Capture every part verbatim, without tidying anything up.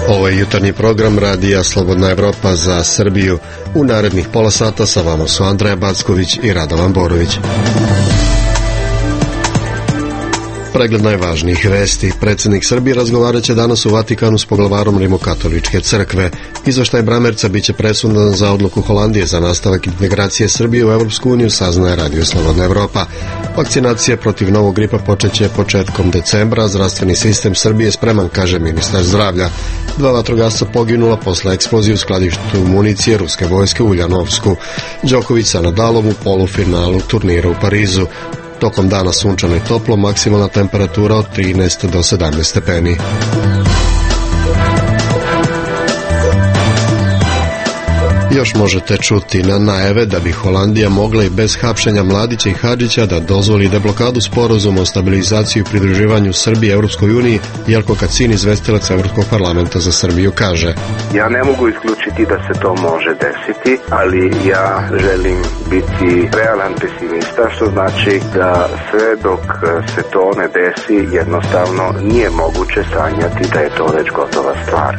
Ovo je jutarnji program Radija Slobodna Evropa za Srbiju. U narednih pola sata sa vama su Andreja Backović i Radovan Borović. Pregled najvažnijih vesti. Predsjednik Srbije razgovarat će danas u Vatikanu s poglavarom Rimokatoličke crkve. Izveštaj Bramerca biće presudan za odluku Holandije za nastavak integracije Srbije u Evropsku uniju, saznaje Radio Slobodna Evropa. Vakcinacija protiv novog gripa počeće početkom decembra. Zdravstveni sistem Srbije spreman, kaže ministar zdravlja. Dva vatrogasca poginula posle eksplozije u skladištu municije ruske vojske u Uljanovsku. Đoković sa Nadalom u polufinalu turnira u Parizu. Tokom dana sunčano i toplo, maksimalna temperatura od trinaest do sedamnaest stepeni. Još možete čuti na najave da bi Holandija mogla i bez hapšenja Mladića i Hadžića da dozvoli deblokadu sporazuma o stabilizaciji i pridruživanju Srbije Evropskoj uniji. Jelko Kacin, izvestilac Evropskog parlamenta za Srbiju, kaže: Ja ne mogu isključiti da se to može desiti, ali ja želim biti realan pesimista, što znači da sve dok se to ne desi, jednostavno nije moguće sanjati da je to već gotova stvar.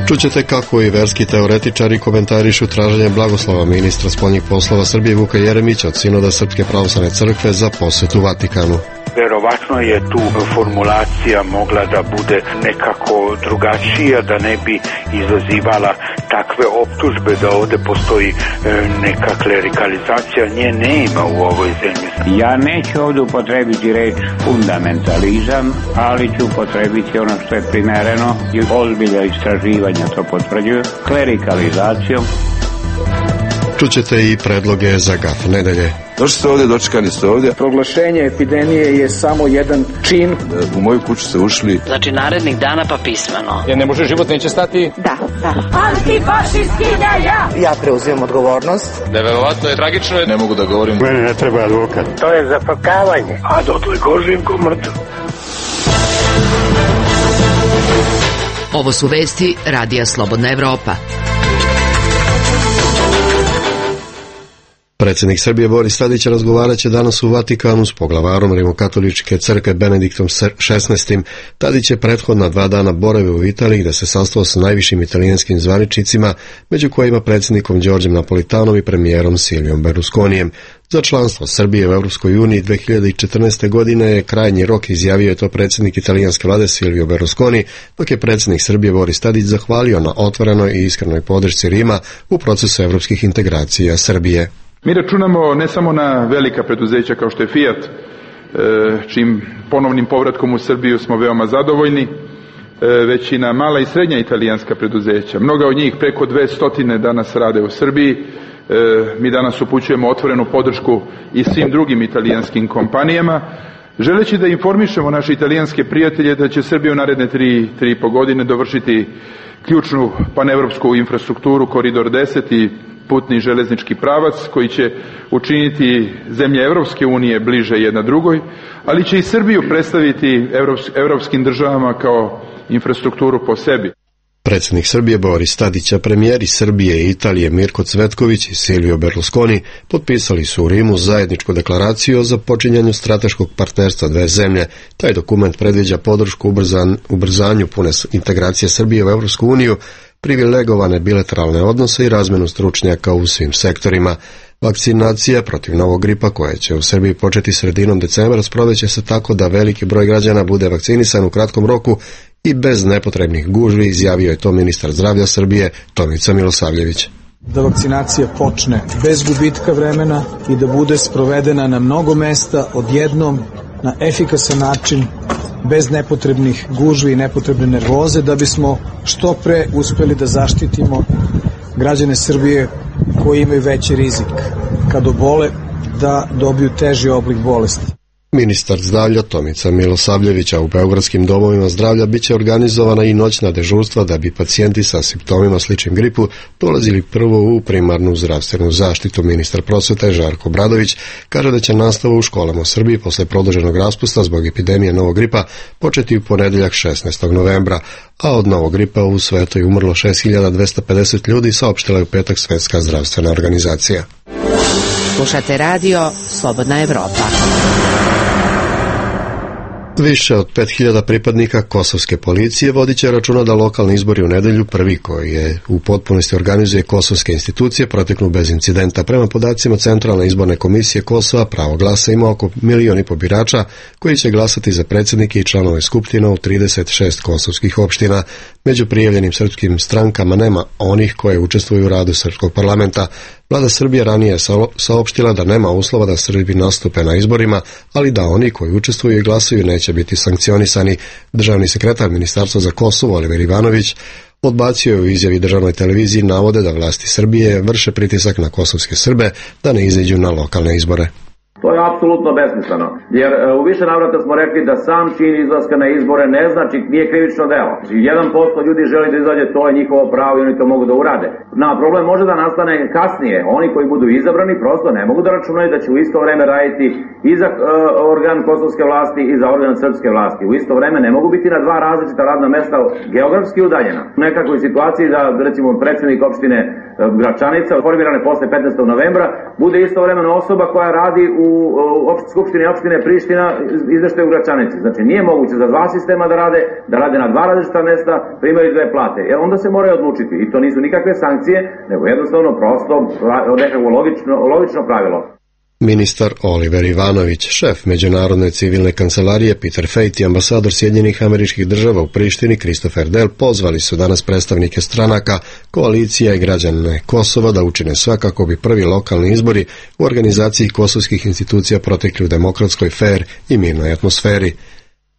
Čućete kako i verski teoretičari komentarišu traženje blagoslova ministra spoljnih poslova Srbije Vuka Jeremića od sinoda Srpske pravoslavne crkve za posetu Vatikanu. Verovatno je tu formulacija mogla da bude nekako drugačija, da ne bi izazivala takve optužbe da ovde postoji neka klerikalizacija. Nje nema u ovoj zemlji. Ja neću ovde upotrebiti reč fundamentalizam, ali ću upotrebiti ono što je primereno i ozbiljna istraživanja to potvrđuju, klerikalizacijom. Čućete i predloge za gaf nedelje. Došli ste ovdje, dočekani ste ovdje. Proglašenje epidemije je samo jedan čin. U moju kuću ste ušli. Znači narednih dana pa pismeno. Jer ne može, život neće stati. Da, da. Antifašisti ideja! Ja preuzimam odgovornost. Neverovatno je, tragično je. Ne mogu da govorim. Mene ne treba advokat. To je zafrkavanje. A dotle kožim ko mrtav. Ovo su vesti Radija Slobodna Evropa. Predsjednik Srbije Boris Tadić razgovarat će danas u Vatikanu s poglavarom Rimokatoličke crkve Benediktom šesnaestim. Tadić je prethodna dva dana boravio u Italiji, gde se sastao sa najvišim italijanskim zvaničnicima, među kojima predsjednikom Đorđem Napolitanom i premijerom Silvijom Berlusconijem. Za članstvo Srbije u Evropskoj uniji dve hiljade četrnaeste. godine je krajnji rok, izjavio je to predsjednik italijanske vlade Silvio Berlusconi, dok je predsjednik Srbije Boris Tadić zahvalio na otvorenoj i iskrenoj podršci Rima u procesu evropskih integracija Srbije. Mi računamo ne samo na velika preduzeća kao što je Fiat, čim ponovnim povratkom u Srbiju smo veoma zadovoljni, već i na mala i srednja italijanska preduzeća. Mnoga od njih, preko dve stotine, danas rade u Srbiji. Mi danas upućujemo otvorenu podršku i svim drugim italijanskim kompanijama, želeći da informišemo naše italijanske prijatelje da će Srbija u naredne tri, tri i po godine dovršiti ključnu panevropsku infrastrukturu Koridor deset i putni železnički pravac koji će učiniti zemlje Evropske unije bliže jedna drugoj, ali će i Srbiju predstaviti evropskim državama kao infrastrukturu po sebi. Predsjednik Srbije Boris Tadić, premijeri Srbije i Italije Mirko Cvetković i Silvio Berlusconi potpisali su u Rimu zajedničku deklaraciju o započinjanju strateškog partnerstva dve zemlje. Taj dokument predviđa podršku ubrzan, ubrzanju pune integracije Srbije u Evropsku uniju, privilegovane bilateralne odnose i razmenu stručnjaka u svim sektorima. Vakcinacija protiv novog gripa, koja će u Srbiji početi sredinom decembra, sproveće se tako da veliki broj građana bude vakcinisan u kratkom roku i bez nepotrebnih gužvi, izjavio je to ministar zdravlja Srbije Tomica Milosavljević. Da vakcinacija počne bez gubitka vremena i da bude sprovedena na mnogo mesta odjednom, na efikasan način, bez nepotrebnih gužvi i nepotrebne nervoze, da bismo što pre uspeli da zaštitimo građane Srbije koji imaju veći rizik kad obole da dobiju teži oblik bolesti. Ministar zdravlja Tomica Milosavljevića u beogradskim domovima zdravlja biće organizovana i noćna dežurstva da bi pacijenti sa simptomima sličnim gripu dolazili prvo u primarnu zdravstvenu zaštitu. Ministar prosvete Žarko Obradović kaže da će nastava u školama u Srbiji posle produženog raspusta zbog epidemije novog gripa početi u ponedjeljak šesnaestog novembra, a od novog gripa u svetu je umrlo šest hiljada dvesta pedeset ljudi, saopštila je u petak Svetska zdravstvena organizacija. Slušate radio Slobodna Evropa. Više od pet hiljada pripadnika kosovske policije vodit će računa da lokalni izbori u nedelju, prvi koji je u potpunosti organizuje kosovske institucije, proteknu bez incidenta. Prema podacima Centralne izborne komisije Kosova, pravo glasa ima oko milion i po birača koji će glasati za predsjednike i članove skupština u trideset šest kosovskih opština. Među prijavljenim srpskim strankama nema onih koje učestvuju u radu srpskog parlamenta. Vlada Srbije ranije je saopštila da nema uslova da Srbi nastupe na izborima, ali da oni koji učestvuju i glasuju neće biti sankcionisani. Državni sekretar Ministarstva za Kosovo Oliver Ivanović odbacio je u izjavi državnoj televiziji navode da vlasti Srbije vrše pritisak na kosovske Srbe da ne izađu na lokalne izbore. To je apsolutno besmisleno, jer u više navrata smo rekli da sam čin izlaska na izbore ne znači, nije krivično delo. jedan posto ljudi želi da izađe, to je njihovo pravo i oni to mogu da urade. Na problem može da nastane kasnije, oni koji budu izabrani prosto ne mogu da računaju da će u isto vreme raditi i za uh, organ kosovske vlasti i za organ srpske vlasti. U isto vreme ne mogu biti na dva različita radna mesta geografski udaljena. U nekakvoj situaciji da recimo predsjednik opštine Gračanica, formirane posle petnaestog novembra, bude istovremeno osoba koja radi u u skupštini opštine Priština izveštaju u Gračanici. Znači nije moguće za dva sistema da rade, da rade na dva različita mesta, primaju dve plate. E onda se moraju odlučiti i to nisu nikakve sankcije, nego jednostavno prosto nekako logično, logično pravilo. Ministar Oliver Ivanović, šef Međunarodne civilne kancelarije Peter Fejt i ambasador Sjedinjenih Američkih Država u Prištini Christopher Dell pozvali su danas predstavnike stranaka, koalicija i građane Kosova da učine sve kako bi prvi lokalni izbori u organizaciji kosovskih institucija protekli u demokratskoj, fer i mirnoj atmosferi.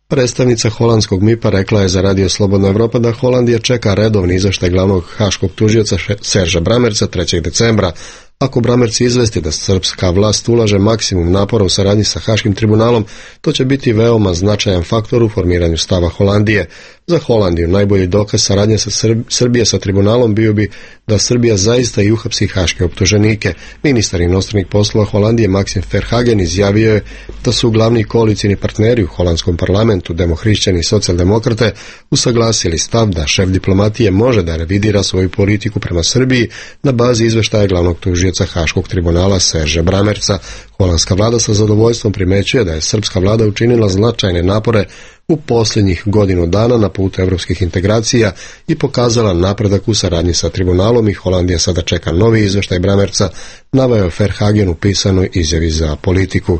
Predstavnica holandskog M I P-a rekla je za Radio Slobodna Evropa da Holandija čeka redovni izveštaj glavnog haškog tužioca Serža Bramerca trećeg decembra. Ako Bramerc izvesti da srpska vlast ulaže maksimum napora u saradnji sa Haškim tribunalom, to će biti veoma značajan faktor u formiranju stava Holandije. Za Holandiju najbolji dokaz saradnje sa Srb... Srbije sa tribunalom bio bi da Srbija zaista i uhapsi haške optuženike. Ministar inostranih poslova Holandije Maxim Verhagen izjavio je da su glavni koalicijni partneri u holandskom parlamentu, demohrišćani i socijaldemokrate, usaglasili stav da šef diplomatije može da revidira svoju politiku prema Srbiji na bazi izveštaja glavnog tužioca Haškog tribunala Serža Bramerca. Holandska vlada sa zadovoljstvom primećuje da je srpska vlada učinila značajne napore u posljednjih godinu dana na putu evropskih integracija i pokazala napredak u saradnji sa tribunalom i Holandija sada čeka novi izveštaj Bramerca, naveo je Verhagen u pisanoj izjavi za Politiku.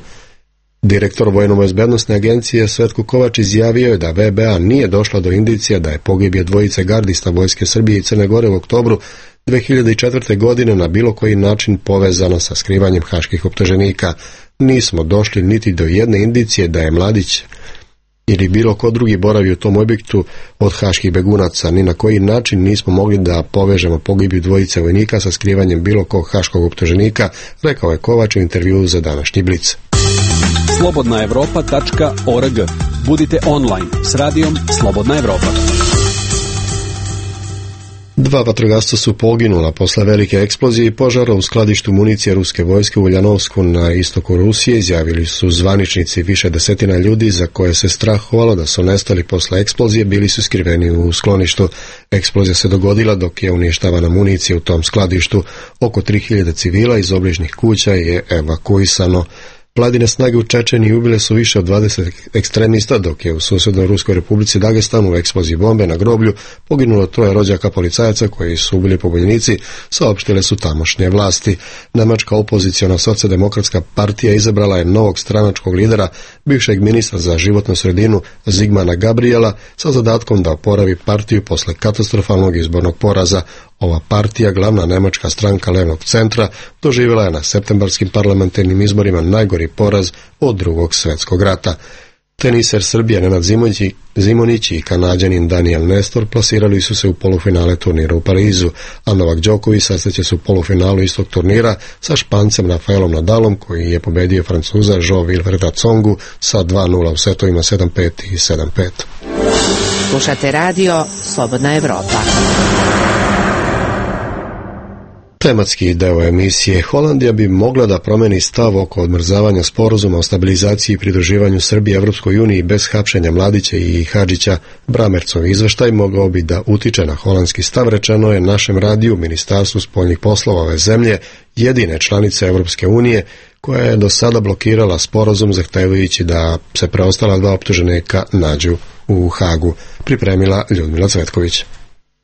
Direktor Vojno-bezbednosne agencije Svetko Kovač izjavio je da V B A nije došla do indicija da je pogibije dvojice gardista vojske Srbije i Crne Gore u oktobru dve hiljade četvrte. godine na bilo koji način povezano sa skrivanjem haških optuženika. Nismo došli niti do jedne indicije da je Mladić ili bilo ko drugi boravi u tom objektu od haških begunaca. Ni na koji način nismo mogli da povežemo pogibiju dvojice vojnika sa skrivanjem bilo kog haškog optuženika, rekao je Kovač u intervjuu za današnji Blic. slobodna evropa tačka org. Budite online s radijom Slobodna Evropa. Dva vatrogasca su poginula posle velike eksplozije i požara u skladištu municije ruske vojske u Uljanovsku na istoku Rusije, izjavili su zvaničnici. Više desetina ljudi za koje se strahovalo da su nestali posle eksplozije bili su skriveni u skloništu. Eksplozija se dogodila dok je uništavana municija u tom skladištu. Oko tri hiljade civila iz obližnjih kuća je evakuisano. Vladine snage u Čečeniji ubile su više od dvadeset ekstremista, dok je u susjednoj Ruskoj republici Dagestanu u eksploziji bombe na groblju poginulo troje rođaka policajaca koji su ubili pobunjenici, saopštile su tamošnje vlasti. Nemačka opoziciona socijaldemokratska partija izabrala je novog stranačkog lidera, bivšeg ministra za životnu sredinu Zigmana Gabriela, sa zadatkom da oporavi partiju posle katastrofalnog izbornog poraza. Ova partija, glavna nemačka stranka levnog centra, doživjela je na septembarskim parlamentarnim izborima najgori poraz od drugog svjetskog rata. Teniser Srbije Nenad Zimonjić i Kanađanin Daniel Nestor plasirali su se u polufinale turnira u Parizu, a Novak Đoković sastaće se u polufinalu istog turnira sa Špancem Rafaelom Nadalom, koji je pobedio Francuza Joao Wilfreda Tsongu sa dva nula u setovima sedam pet i sedam pet. Slušate radio Slobodna Evropa. Tematski deo emisije. Holandija bi mogla da promeni stav oko odmrzavanja sporazuma o stabilizaciji i pridruživanju Srbije Evropskoj uniji bez hapšenja Mladića i Hadžića. Bramercov izveštaj mogao bi da utiče na holandski stav, rečeno je našem radiju Ministarstvu spoljnih poslova ove zemlje, jedine članice Evropske unije, koja je do sada blokirala sporazum zahtevajući da se preostala dva optuženika nađu u Hagu. Pripremila Ljudmila Cvetković.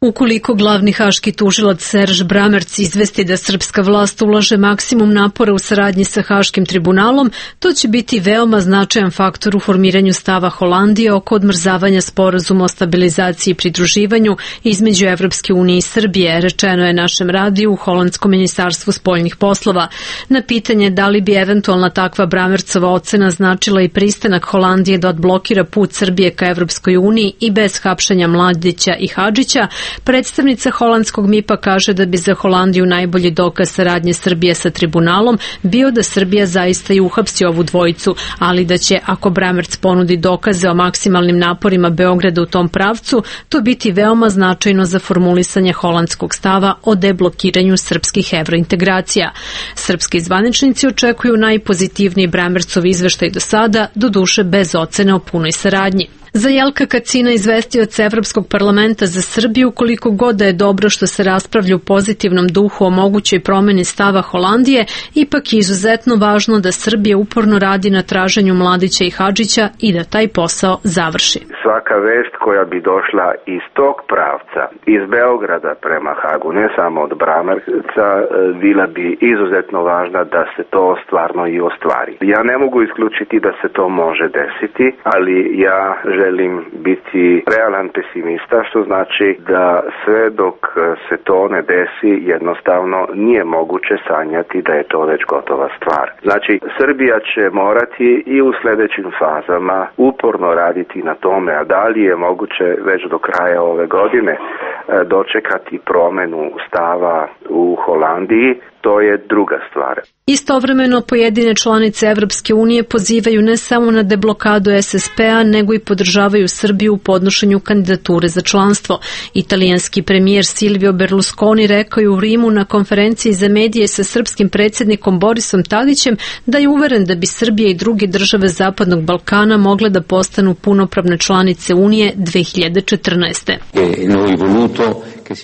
Ukoliko glavni haški tužilac Serž Bramerc izvesti da srpska vlast ulaže maksimum napora u saradnji sa Haškim tribunalom, to će biti veoma značajan faktor u formiranju stava Holandije oko odmrzavanja sporazuma o stabilizaciji i pridruživanju između Evropske unije i Srbije, rečeno je našem radiju u Holandskom ministarstvu spoljnih poslova. Na pitanje da li bi eventualna takva Bramercova ocena značila i pristanak Holandije da odblokira put Srbije ka Evropskoj uniji i bez hapšenja Mladića i Hadžića, predstavnica holandskog M I P-a kaže da bi za Holandiju najbolji dokaz saradnje Srbije sa tribunalom bio da Srbija zaista i uhapsi ovu dvojicu, ali da će, ako Bramerc ponudi dokaze o maksimalnim naporima Beograda u tom pravcu, to biti veoma značajno za formulisanje holandskog stava o deblokiranju srpskih evrointegracija. Srpski zvaničnici očekuju najpozitivniji Bramercov izveštaj do sada, doduše bez ocene o punoj saradnji. Za Jelka Kacina, izvestioca Evropskog parlamenta za Srbiju, koliko god da je dobro što se raspravlja u pozitivnom duhu o mogućoj promeni stava Holandije, ipak je izuzetno važno da Srbija uporno radi na traženju Mladića i Hadžića i da taj posao završi. Svaka vest koja bi došla iz tog pravca, iz Beograda prema Hagu, ne samo od Bramerca, bila bi izuzetno važna da se to stvarno i ostvari. Ja ne mogu isključiti da se to može desiti, ali ja želim biti realan pesimista, što znači da sve dok se to ne desi, jednostavno nije moguće sanjati da je to već gotova stvar. Znači, Srbija će morati i u sljedećim fazama uporno raditi na tome, a da li je moguće već do kraja ove godine dočekati promenu stava u Holandiji, to je druga stvar. Istovremeno pojedine članice Evropske unije pozivaju ne samo na deblokadu S S P-a, nego i podržavaju Srbiju u podnošenju kandidature za članstvo. Italijanski premijer Silvio Berlusconi rekao je u Rimu na konferenciji za medije sa srpskim predsjednikom Borisom Tadićem da je uveren da bi Srbija i druge države Zapadnog Balkana mogle da postanu punopravne članice Unije dve hiljade četrnaeste.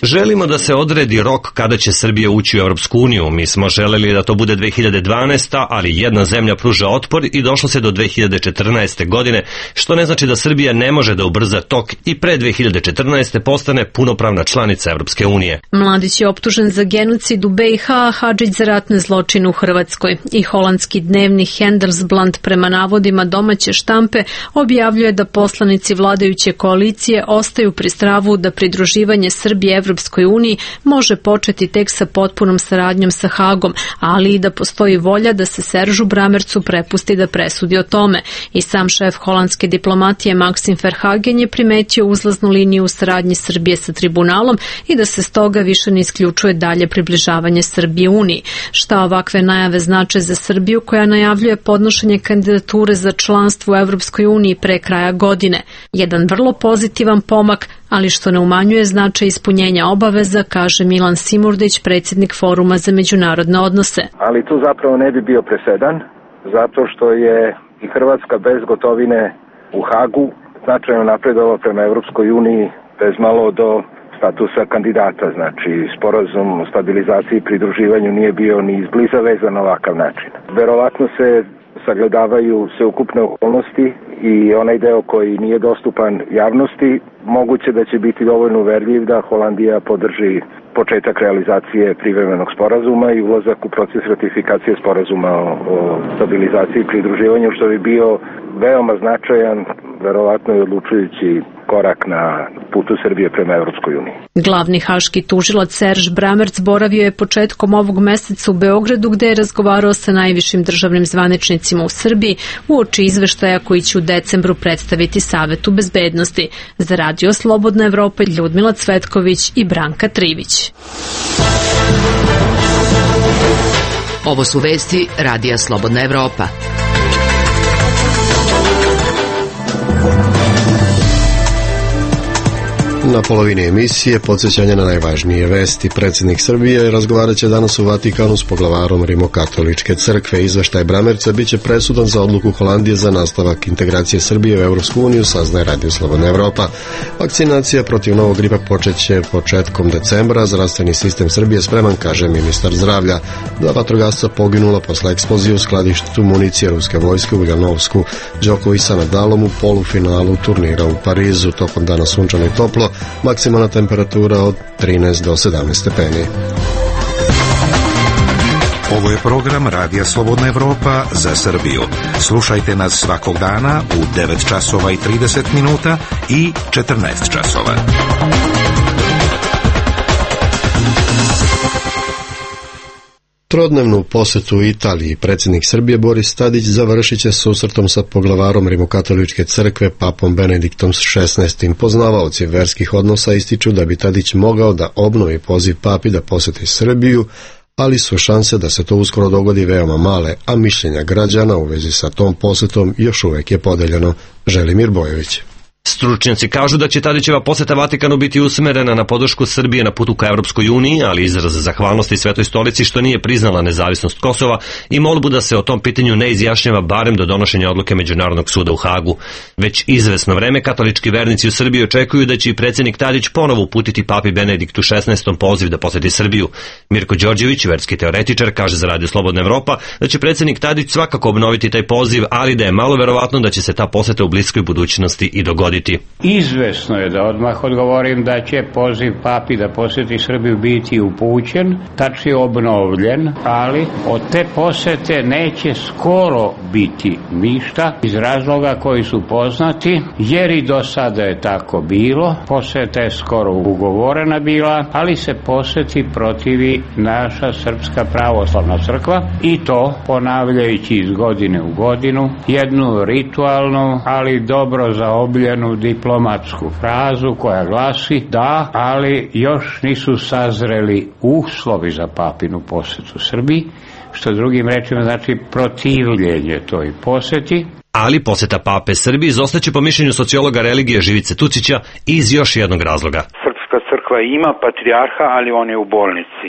Želimo da se odredi rok kada će Srbija ući u Evropsku uniju. Mi smo želeli da to bude dve hiljade dvanaesta. ali jedna zemlja pruža otpor i došlo se do dve hiljade četrnaeste. godine, što ne znači da Srbija ne može da ubrza tok i pre dve hiljade četrnaeste. postane punopravna članica Evropske unije. Mladić je optužen za genocid u B i H, a Hadžić za ratne zločine u Hrvatskoj. I holandski dnevnik Handelsblad prema navodima domaće štampe objavljuje da poslanici vladajuće koalicije ostaju pri stavu da pridruživanje Srbije Evropskoj uniji može početi tek sa potpunom saradnjom sa Hagom, ali i da postoji volja da se Seržu Bramercu prepusti da presudi o tome. I sam šef holandske diplomatije Maxim Verhagen je primetio uzlaznu liniju u saradnji Srbije sa tribunalom i da se stoga više ne isključuje dalje približavanje Srbije Uniji. Šta ovakve najave znače za Srbiju koja najavljuje podnošenje kandidature za članstvo u Evropskoj uniji pre kraja godine? Jedan vrlo pozitivan pomak, ali što ne umanjuje značaj ispunjenja obaveza, kaže Milan Simurdić, predsjednik Foruma za međunarodne odnose. Ali tu zapravo ne bi bio presedan, zato što je i Hrvatska bez gotovine u Hagu značajno napredovala prema Evropskoj uniji bez malo do statusa kandidata. Znači, sporazum o stabilizaciji i pridruživanju nije bio ni izbliza vezan na ovakav način. Verovatno se sagledavaju sveukupne okolnosti i onaj deo koji nije dostupan javnosti, moguće da će biti dovoljno uverljiv da Holandija podrži početak realizacije privremenog sporazuma i ulazak u proces ratifikacije sporazuma o, o stabilizaciji i pridruživanju, što bi bio veoma značajan, verovatno i odlučujući korak na putu Srbije prema Evropskoj uniji. Glavni haški tužilac Serž Bramerc boravio je početkom ovog meseca u Beogradu, gde je razgovarao sa najvišim državnim zvaničnicima u Srbiji uoči izveštaja koji će u decembru predstaviti Savetu bezbednosti. Za Radio Slobodna Evropa Ljudmila Cvetković i Branka Trivić. Ovo su vesti Radija Slobodna Evropa. Na polovini emisije podsjećanje na najvažnije vesti. Predsjednik Srbije razgovarat će danas u Vatikanu s poglavarom Rimokatoličke crkve. Izveštaj Bramerca biće presudan za odluku Holandije za nastavak integracije Srbije u Evropsku uniju, saznaje Radio Slobodna Evropa. Vakcinacija protiv novog gripa počeće početkom decembra. Zdravstveni sistem Srbije spreman, kaže ministar zdravlja. Dva vatrogasca poginula posle eksplozije u skladištu municije ruske vojske u Ljanovsku. Đoković sa Nadalom u polufinalu turnira u Parizu. Tokom dana sunčano i toplo, maksimalna temperatura od trinaest do sedamnaest stepeni. Ovo je program Radija Slobodna Evropa za Srbiju. Slušajte nas svakog dana u devet časova i trideset minuta i četrnaest časova. Trodnevnu posetu Italiji predsjednik Srbije Boris Tadić završit će susretom sa poglavarom Rimokatoličke crkve papom Benediktom šesnaestim. Poznavaoci verskih odnosa ističu da bi Tadić mogao da obnovi poziv papi da poseti Srbiju, ali su šanse da se to uskoro dogodi veoma male, a mišljenja građana u vezi sa tom posetom još uvek je podeljeno. Želimir Bojović. Stručnjaci kažu da će Tadićeva poseta Vatikanu biti usmerena na podršku Srbije na putu ka Evropskoj uniji, ali izraz zahvalnosti Svetoj stolici što nije priznala nezavisnost Kosova i molbu da se o tom pitanju ne izjašnjava barem do donošenja odluke Međunarodnog suda u Hagu. Već izvesno vreme katolički vernici u Srbiji očekuju da će i predsjednik Tadić ponovo uputiti papi Benediktu šesnaestom poziv da poseti Srbiju. Mirko Đorđević, verski teoretičar, kaže za Radio Slobodna Evropa da će predsjednik Tadić svakako obnoviti taj poziv, ali da je malo verovatno da će se ta poseta u bliskoj budućnosti i dogoditi. Izvesno je, da odmah odgovorim, da će poziv papi da poseti Srbiju biti upućen, tačnije obnovljen, ali od te posete neće skoro biti ništa iz razloga koji su poznati, jer i do sada je tako bilo. Poseta je skoro ugovorena bila, ali se poseti protivi naša Srpska pravoslavna crkva i to ponavljajući iz godine u godinu jednu ritualnu, ali dobro zaobljenu diplomatsku frazu koja glasi da, ali još nisu sazreli uslovi za papinu posetu Srbiji, što drugim rečima znači protivljenje toj poseti. Ali poseta pape Srbiji izostaće po mišljenju sociologa religije Živice Tucića iz još jednog razloga. Srpska crkva ima patrijarha, ali on je u bolnici.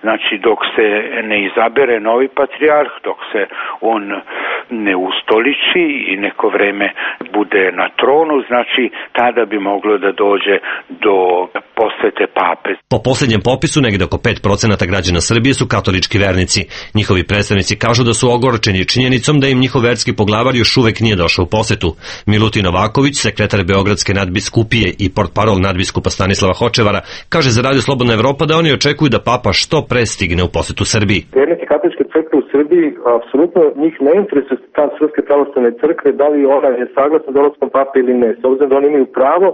Znači, dok se ne izabere novi patrijarh, dok se on ne ustoliči i neko vreme bude na tronu, znači tada bi moglo da dođe do posete pape. Po posljednjem popisu negde oko pet procenata građana Srbije su katolički vernici. Njihovi predstavnici kažu da su ogorčeni činjenicom da im njihov verski poglavar još uvek nije došao u posetu. Milutin Novaković, sekretar Beogradske nadbiskupije i portparol nadbiskupa Stanislava Hočevara, kaže za Radio Slobodna Evropa da oni očekuju da papa što pre stigne u posetu Srbiji. Vernici katoličke crkve u Srbiji, apsolutno njih ne interesuje ta Srpske pravoslavne crkve, da li ona je saglasna dolaskom pape ili ne, s obzirom da oni imaju pravo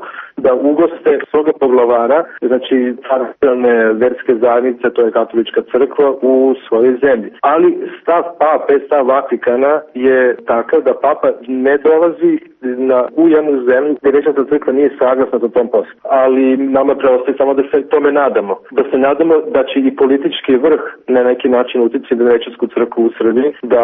da ugoste svoga poglavara, znači tradicionalne verske zajednice, to je katolička crkva u svojoj zemlji. Ali stav pape, stav Vatikana je takav da papa ne dolazi na, u jednu zemlju gdje Većanska crkva nije saglasna za tom poslu. Ali nama preostaje samo da se tome nadamo. Da se nadamo da će i politički vrh na neki način uticati na Većansku crkvu u Srbiji, da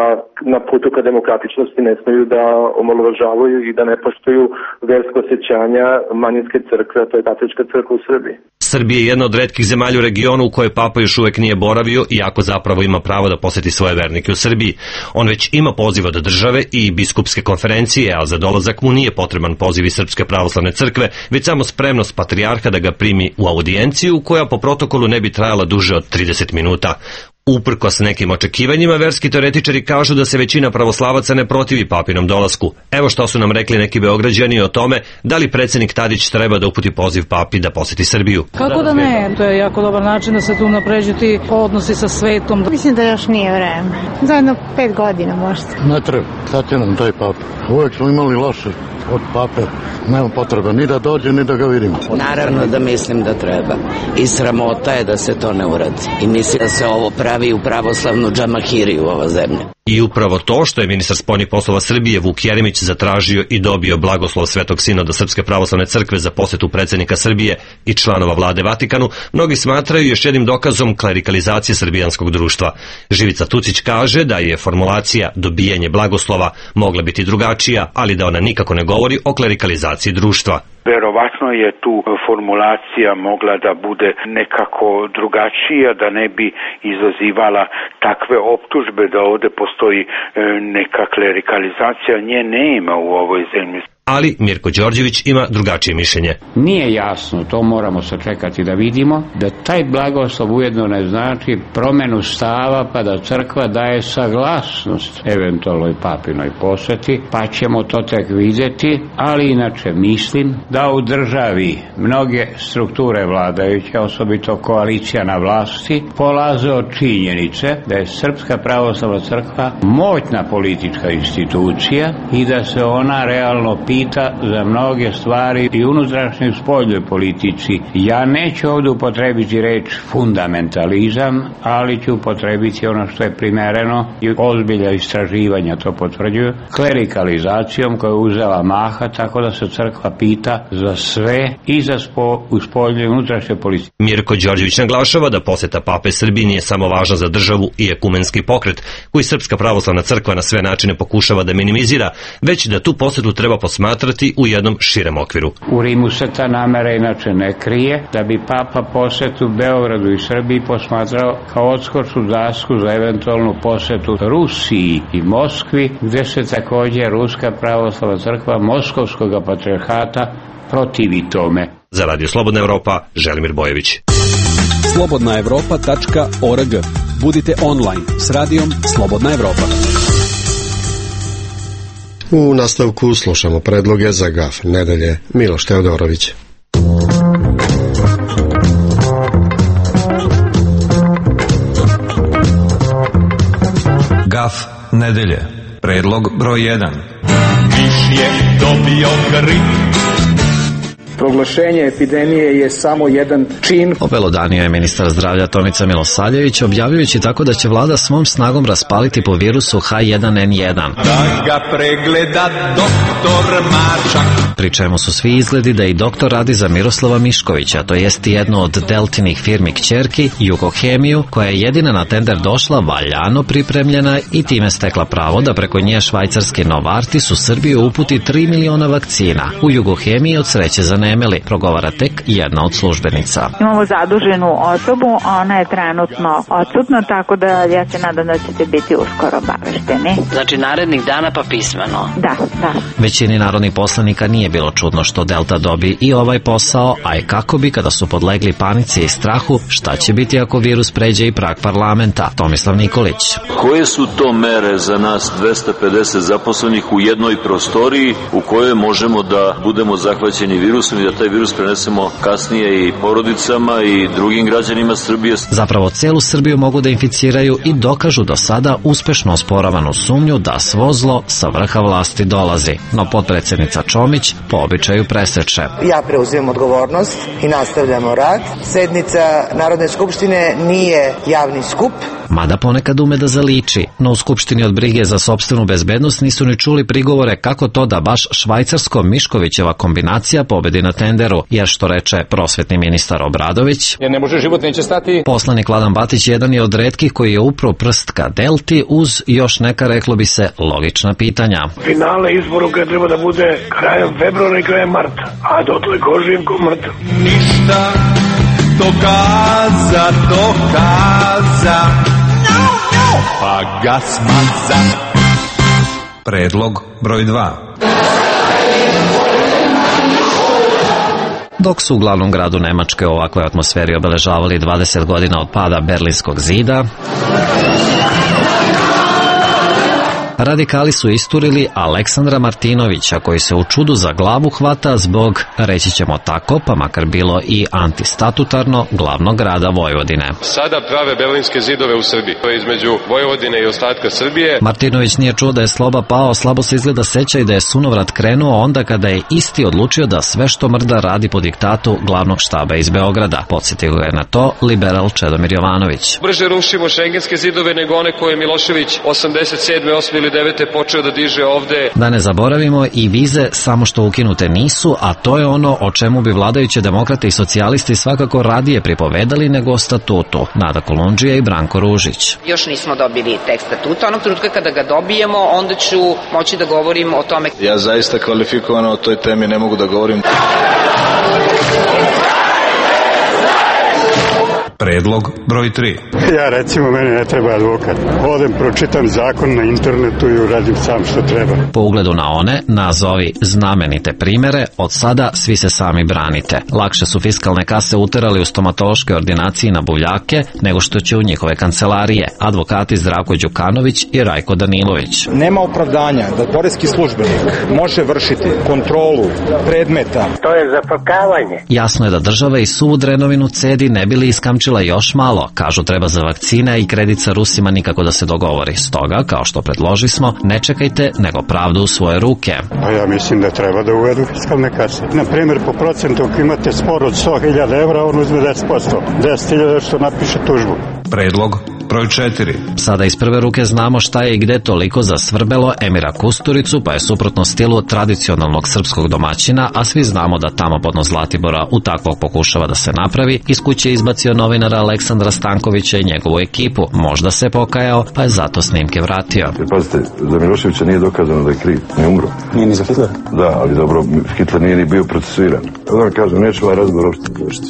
na putu ka demokratičnosti ne smiju da omalovažavaju i da ne poštuju versko osjećanja manjinske crkve, to je katolička crkva u Srbiji. Srbija je jedna od retkih zemalja u regionu u kojoj papa još uvek nije boravio, iako zapravo ima pravo da poseti svoje vernike u Srbiji. On već ima poziv od države i biskupske konferencije, a za dolazak mu nije potreban poziv iz Srpske pravoslavne crkve, već samo spremnost patrijarha da ga primi u audijenciju, koja po protokolu ne bi trajala duže od trideset minuta. Uprkos nekim očekivanjima, verski teoretičari kažu da se većina pravoslavaca ne protivi papinom dolasku. Evo što su nam rekli neki Beograđani o tome da li predsjednik Tadić treba da uputi poziv papi da poseti Srbiju. Kako da ne? To je jako dobar način da se tu napređu ti odnosi sa svetom. Mislim da još nije vreme. Za jedno pet godina možda. Ne treba. Sad je nam taj papa. Uvijek smo imali loše od pape nema potrebe ni da dođe, ni da ga vidimo. Naravno da mislim da treba. I sramota je da se to ne uradi. I mislim da se ovo pravi u pravoslavnu džamahiriju ova zemlja. I upravo to što je ministar spoljnih poslova Srbije Vuk Jeremić zatražio i dobio blagoslov Svetog Sinoda Srpske pravoslavne crkve za posetu predsednika Srbije i članova vlade Vatikanu, mnogi smatraju još jednim dokazom klerikalizacije srbijanskog društva. Živica Tucić kaže da je formulacija dobijanje blagoslova mogla biti drugačija, ali da ona nikako ne govori o klerikalizaciji društva. Verovatno je tu formulacija mogla da bude nekako drugačija, da ne bi izazivala takve optužbe da ovde postoji neka klerikalizacija. Nje nema u ovoj zemlji. Ali Mirko Đorđević ima drugačije mišljenje. Nije jasno, to moramo sačekati da vidimo, da taj blagoslov ujedno ne znači promenu stava pa da crkva daje saglasnost eventualnoj papinoj poseti, pa ćemo to tek vidjeti, ali inače mislim da u državi mnoge strukture vladajuće, osobito koalicija na vlasti, polaze od činjenice da je Srpska pravoslavna crkva moćna politička institucija i da se ona realno pita za mnoge stvari i unutrašnjoj spoljnoj politici. Ja neću ovdje upotrebiti reč fundamentalizam, ali ću upotrebiti ono što je primereno i ozbilja istraživanja to potvrđuju, klerikalizacijom koja je uzela maha, tako da se crkva pita za sve i za spo, u spoljnoj i unutrašnjoj politici. Mirko Đorđević naglašava da poseta pape Srbiji nije samo važna za državu i ekumenski pokret, koji Srpska pravoslavna crkva na sve načine pokušava da minimizira, već da tu posetu treba posmatrati u jednom širem okviru. U Rimu se ta namera inače ne krije, da bi papa posetu Beogradu i Srbiji posmatrao kao odskočnu dasku za eventualnu posetu Rusiji i Moskvi, gde se također Ruska pravoslavna crkva Moskovskog patrijarhata protivi tome. Za Radio Slobodna Evropa, Želimir Bojević. slobodna evropa tačka org. Budite online s radijom Slobodna Evropa. U nastavku slušamo predloge za G A F nedelje. Miloš Teodorović. G A F nedelje. Predlog broj jedan. Viš je dobio grip. Proglašenje epidemije je samo jedan čin. Obelodanio je ministar zdravlja Tomica Milosavljević, objavljujući tako da će vlada svom snagom raspaliti po virusu H jedan N jedan. Da ga pregleda doktor Marčak. Pri čemu su svi izgledi da i doktor radi za Miroslava Miškovića, to jest jednu od Deltinih firmi kćerki, Jugohemiju, koja je jedina na tender došla valjano pripremljena i time stekla pravo da preko nje švajcarski Novartis u Srbiju uputi tri miliona vakcina. U Jugohemiji od sreće zanemeli, progovara tek jedna od službenica. Imamo zaduženu osobu, ona je trenutno odsutna, tako da ja se nadam da ćete biti uskoro obavešteni. Znači narednih dana pa pismeno? Da, da. Većini narodnih poslanika nije bilo čudno što Delta dobi i ovaj posao, a i kako bi kada su podlegli panici i strahu, šta će biti ako virus pređe i prag parlamenta. Tomislav Nikolić. Koje su to mere za nas dvesta pedeset zaposlenih u jednoj prostoriji u kojoj možemo da budemo zahvaćeni virusom i da taj virus prenesemo kasnije i porodicama i drugim građanima Srbije? Zapravo celu Srbiju mogu da inficiraju i dokažu do sada uspešno osporavanu sumnju da svo zlo sa vrha vlasti dolazi. No potpredsjednica Čomić po običaju preseče. Ja preuzimam odgovornost i nastavljamo rad. Sednica Narodne skupštine nije javni skup. Mada ponekad ume da zaliči, no u Skupštini od brige za sopstvenu bezbednost nisu ni čuli prigovore kako to da baš švajcarsko-Miškovićeva kombinacija pobedi na tenderu, jer što reče prosvetni ministar Obradović, jer ne može, život neće stati. Poslanik Vladan Batić jedan je od retkih koji je upro prst ka Delti uz još neka, reklo bi se, logična pitanja. Finale izboruka treba da bude krajem februara i krajem marta, a dotle ko živ ko mrtav. Ništa dokaza, dokaza, no, no. Pa gas maza. Predlog broj dva. Dok su u glavnom gradu Nemačke u ovakvoj atmosferi obeležavali dvadeset godina od pada Berlinskog zida, radikali su isturili Aleksandra Martinovića, koji se u čudu za glavu hvata zbog, reći ćemo tako, pa makar bilo i antistatutarno, glavnog grada Vojvodine. Sada prave berlinske zidove u Srbiji, to je između Vojvodine i ostatka Srbije. Martinović nije čuo da je Sloba pao, slabo se izgleda seća i da je sunovrat krenuo onda kada je isti odlučio da sve što mrda radi po diktatu glavnog štaba iz Beograda. Podsjetio ga je na to liberal Čedomir Jovanović. Brže rušimo šengenske zidove nego one koje je Milošević osamdeset sedme, osme ili devete počeo da diže ovde. Da ne zaboravimo i vize, samo što ukinute nisu, a to je ono o čemu bi vladajuće demokrate i socijalisti svakako radije pripovedali nego o statutu. Nada Kolundžija i Branko Ružić. Još nismo dobili tekst statuta, onog trenutka kada ga dobijemo, onda ću moći da govorim o tome. Ja zaista kvalifikovano o toj temi ne mogu da govorim. Predlog broj tri. Ja recimo, meni ne treba advokat. Odem, pročitam zakon na internetu i uradim sam što treba. Po ugledu na one, nazovi znamenite primere, od sada svi se sami branite. Lakše su fiskalne kase uterali u stomatološke ordinacije na buvljake nego što će u njihove kancelarije. Advokati Zdravko Đukanović i Rajko Danilović. Nema opravdanja da poreski službenik može vršiti kontrolu predmeta. To je zafrkavanje. Jasno je da država i suvu drenovinu cedi ne bili iskamčila još malo. Kažu treba za vakcine i kredit sa Rusima nikako da se dogovori. Stoga, kao što predložismo, ne čekajte nego pravdu u svoje ruke. Pa ja mislim da treba da uvedu fiskalne kase. Na primjer, po procentu ako imate spor od sto hiljada evra, on uzme deset posto. deset hiljada što napiše tužbu. Predlog broj četiri. Sada iz prve ruke znamo šta je i gde toliko zasvrbelo Emira Kusturicu, pa je suprotno stilu tradicionalnog srpskog domaćina, a svi znamo da tamo podno Zlatibora u takvog pokušava da se napravi, iz kuće izbacio novinara Aleksandra Stankovića i njegovu ekipu. Možda se pokajao, pa je zato snimke vratio. Pazite, za Miloševića nije dokazano da je kriv, nije umro. Nije ni za Hitlera? Da, ali dobro, Hitler nije ni bio procesuiran. Da vam kažem, neću ovaj razgovor uopšte došli.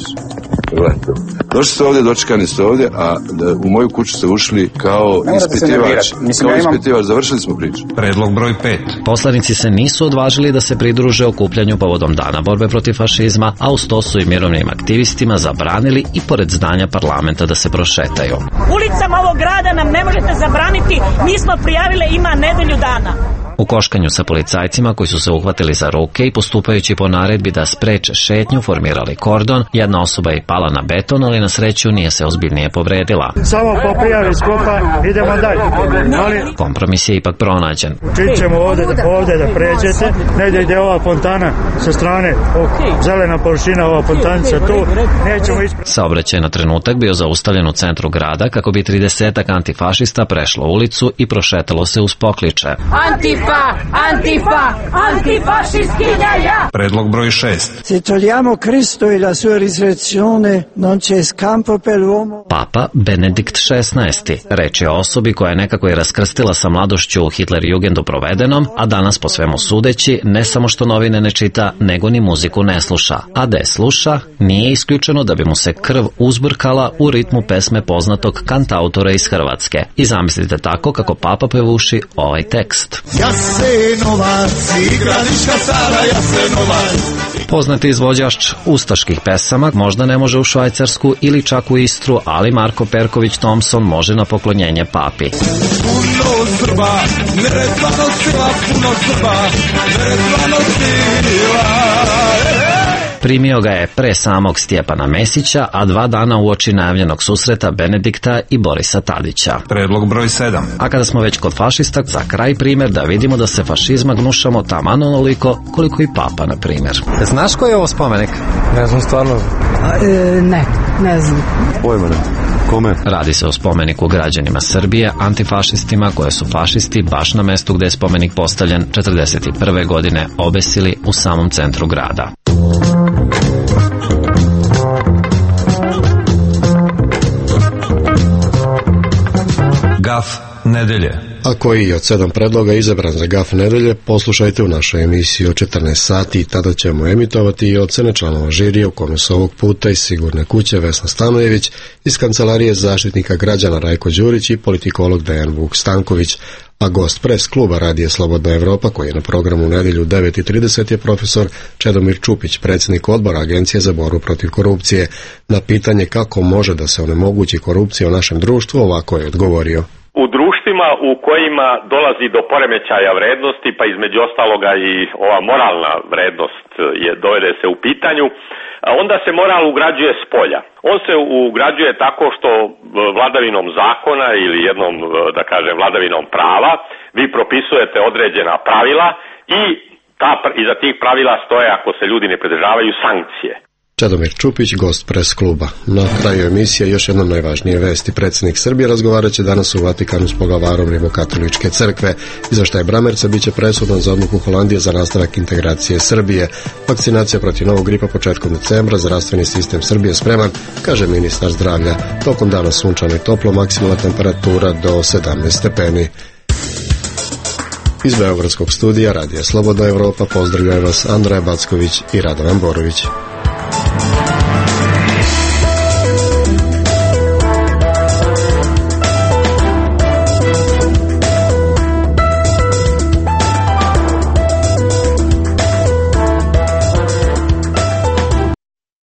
Gledajte, došli ste ovdje, dočekani ste ovdje, a u moju kuću ste ušli kao ispitivač. Kao ispitivač, završili smo priču. Predlog broj pet. Poslanici se nisu odvažili da se pridruže okupljanju povodom Dana borbe protiv fašizma, a uz to su i mirovnim aktivistima zabranili i pored zdanja parlamenta da se prošetaju. Ulicama ovog grada nam ne možete zabraniti, mi smo prijavile ima nedelju dana. U koškanju sa policajcima koji su se uhvatili za ruke i postupajući po naredbi da spreče šetnju formirali kordon, jedna osoba je pala na beton, ali na sreću nije se ozbiljnije povredila. Samo po prijavi skupa idemo dalje. Ali... Kompromis je ipak pronađen. Učit ćemo ovdje, ovdje da pređete, negdje ide ova fontana sa strane, zelena površina, ova fontanica tu, nećemo ispraviti. Saobraćaj na trenutak bio zaustavljen u centru grada kako bi tridesetak antifašista prešlo ulicu i prošetalo se uz pokliče. Antifa! Antifa, antifašisti jaja. Predlog broj šest. Se togliamo Cristo e la sua risurrezione, non c'è scampo per l'uomo. Papa Benedikt šesnaesti. Reč je o osobi koja je nekako i raskrstila sa mladošću u Hitlerjugendu provedenom, a danas po svemu sudeći ne samo što novine ne čita, nego ni muziku ne sluša. A da je sluša, nije isključeno da bi mu se krv uzburkala u ritmu pesme poznatog kantautora iz Hrvatske. I zamislite tako kako Papa pevuši ovaj tekst. Jasenovac, igrališka Sara Jasenovac. Poznati izvođač ustaških pesama možda ne može u Švajcarsku ili čak u Istru, ali Marko Perković Thompson može na poklonjenje papi. Puno Srba, neretvano sila, puno Srba, neretvano sila. Primio ga je pre samog Stjepana Mesića, a dva dana uoči najavljenog susreta Benedikta i Borisa Tadića. Predlog broj sedam. A kada smo već kod fašista, za kraj primjer da vidimo da se fašizma gnušamo taman onoliko koliko i papa, na primjer. Znaš koji je ovo spomenik? Ne znam stvarno. A, e, ne, ne znam. Pojma ne. Kome? Radi se o spomeniku građanima Srbije, antifašistima koje su fašisti baš na mestu gde je spomenik postavljen četrdeset prve godine obesili u samom centru grada. Gaf nedelje. A koji od sedam predloga izabran za Gaf nedelje, poslušajte u našoj emisiji o četrnaest sati i tada ćemo emitovati i ocene članova žirija u kome su ovog puta iz Sigurne kuće Vesna Stanojević, iz Kancelarije zaštitnika građana Rajko Đurić i politikolog Dejan Vuk Stanković, a gost pres kluba Radija Slobodna Evropa koji je na programu u nedjelju u devet i trideset je profesor Čedomir Čupić, predsjednik odbora Agencije za borbu protiv korupcije. Na pitanje kako može da se onemogući korupcija u našem društvu ovako je odgovorio. U društvima u kojima dolazi do poremećaja vrednosti, pa između ostaloga i ova moralna vrednost je dovede se u pitanju, onda se moral ugrađuje s polja. On se ugrađuje tako što vladavinom zakona ili jednom, da kažem, vladavinom prava vi propisujete određena pravila i ta, iza tih pravila stoje, ako se ljudi ne pridržavaju, sankcije. Čedomir Čupić, gost Pres kluba. Na kraju emisije još jednom najvažnije vesti. Predsjednik Srbije razgovarat će danas u Vatikanu s poglavarom Rimokatoličke crkve. Izveštaj Bramerca biće presudan za odluku Holandije za nastavak integracije Srbije. Vakcinacija protiv novog gripa početkom decembra, zdravstveni sistem Srbije spreman, kaže ministar zdravlja. Tokom dana sunčano i toplo, maksimalna temperatura do sedamnaest stepeni. Iz Beogradskog studija Radija Slobodna Evropa pozdravljaju vas Andreja Backović i Radovan Borović.